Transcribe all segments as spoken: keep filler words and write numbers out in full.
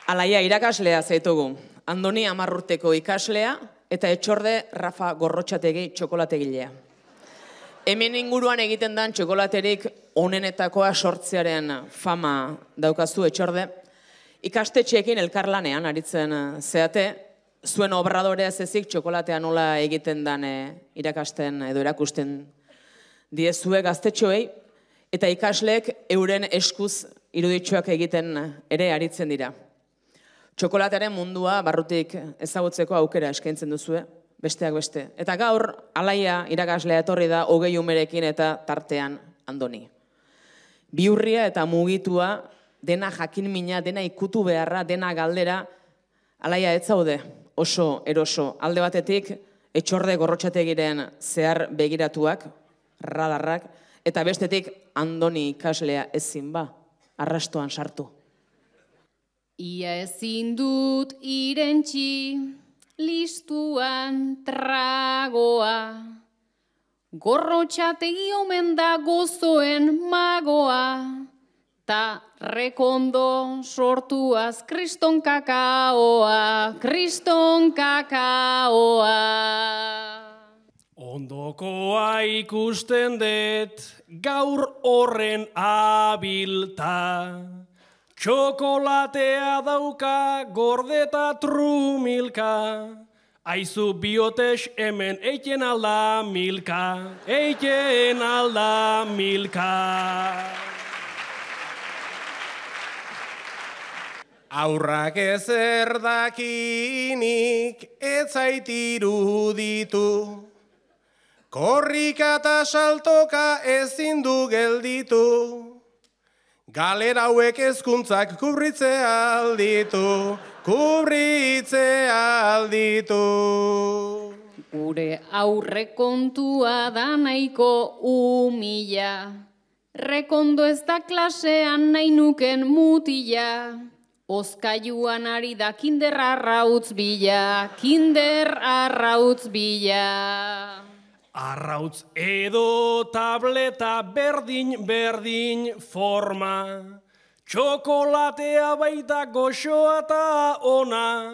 Alaia irakaslea zaitugu. Andoni amarrurteko ikaslea eta Etxorde Rafa Gorrotxategi txokolategilea. Hemen inguruan egiten dan txokolaterik onenetakoa sortzearen fama daukazu Etxorde. Ikastetxeekin elkarlanean aritzen zeate, zuen obradorea zezik txokolatea nola egiten dan irakasten edo erakusten diezue gaztetxoei, eta ikasleek euren eskuz iruditxoak egiten ere aritzen dira. Txokolatearen mundua barrutik ezagutzeko aukera eskaintzen duzue, besteak beste. Eta gaur, Alaia irakaslea etorri da hogei umerekin eta tartean Andoni. Bihurria eta mugitua, dena jakinmina, dena ikutu beharra, dena galdera, Alaia ez zaude oso eroso. Alde batetik, Etxorde Gorrotxategiren zehar begiratuak, radarrak, eta bestetik Andoni ikaslea ezin ba, arrastoan sartu. Ia ezin dut irentxi, listuan tragoa, Gorrotxategi omen da gozoen magoa, ta rekondo sortuaz kriston kakaoa, kriston kakaoa. Ondokoa ikusten dut gaur horren abilta, txokolatea dauka gordeta trumilka, aizu biotes hemen eiten alda milka, eiten alda milka. Aurrak ezer dakinik ez zait iruditu, korrika eta saltoka ezin du gelditu, galera hauek hezkuntzak kubritze alditu, kubritze alditu. Gure aurrekontua da nahiko umila, rekondo ez da klasean nahi nuken mutila, oskailuan ari da kinder arrautz bila, kinder arrautz bila. Arrautz edo tableta berdin-berdin forma, txokolatea baita goxoa eta ona,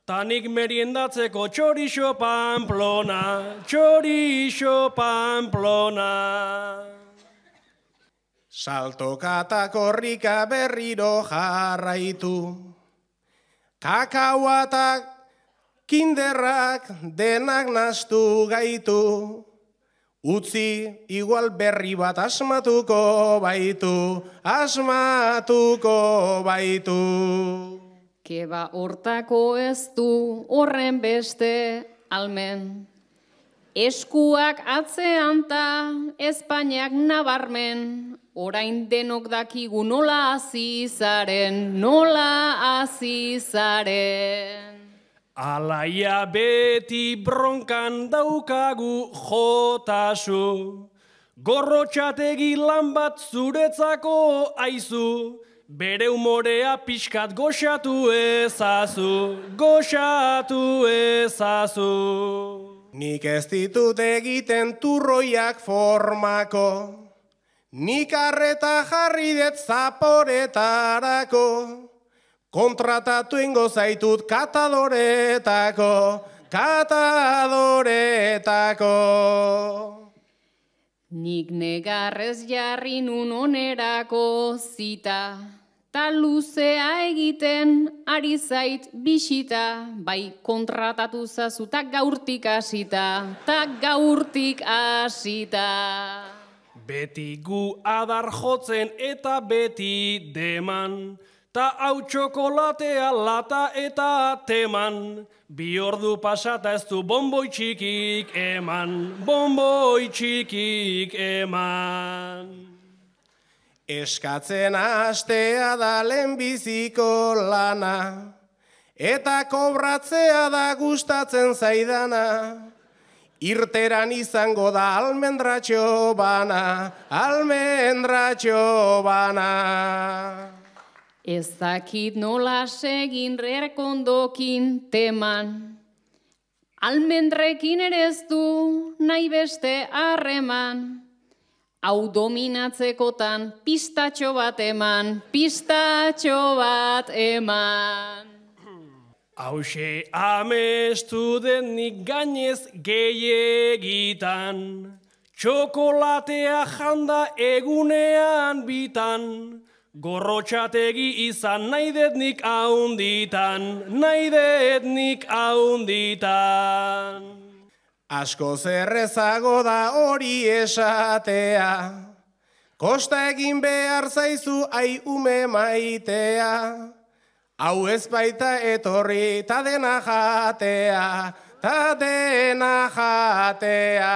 tanik meriendatzeko txorixo Pamplona, txorixo Pamplona. Saltoka eta korrika berriro jarraitu, kakaoa eta kinderrak denak nastu gaitu, utzi igual berri bat asmatuko baitu, asmatuko baitu. Keba hortako ez du horren beste almen, eskuak atzean ta Espainiak nabarmen, orain denok dakigu nola hasi zaren, nola hasi zaren. Alaia beti bronkan daukagu jotasu, Gorrotxategi lan bat zuretzako aizu, bere umorea pixkat goxatu ezazu, goxatu ezazu. Nik ez ditut egiten turroiak formako, nik arreta jarri det zaporetarako, kontratatu ingo zaitut katadoretako, katadoretako. Nik negarrez jarri nun onerako zita, ta luzea egiten ari zait bisita, bai kontratatu zazu ta gaurtik hasita, ta gaurtik hasita. Beti gu adar jotzen eta beti deman, ta hau txokolatea lata eta teman, bi ordu pasata ez du bomboi txikik eman, bomboi txikik eman. Eskatzen hastea da lehenbiziko lana, eta kobratzea da gustatzen zaidana, irteran izango da almendratxo bana, almendratxo bana. Ez dakit nola segin rekondokin teman, almendrekin ere ez du nahi beste harreman, Hau dominatzekotan pistatxo bat eman, pistatxo bat eman. Hauxe amestu denik gainez gehiagitan, txokolatea janda egunean bitan, gorrotxategi izan nahi detnik haunditan, nahi detnik haunditan. Asko zerrezago da hori esatea, kosta egin behar zaizu ai ume maitea, hau ez baita etorri ta dena jatea, ta dena jatea.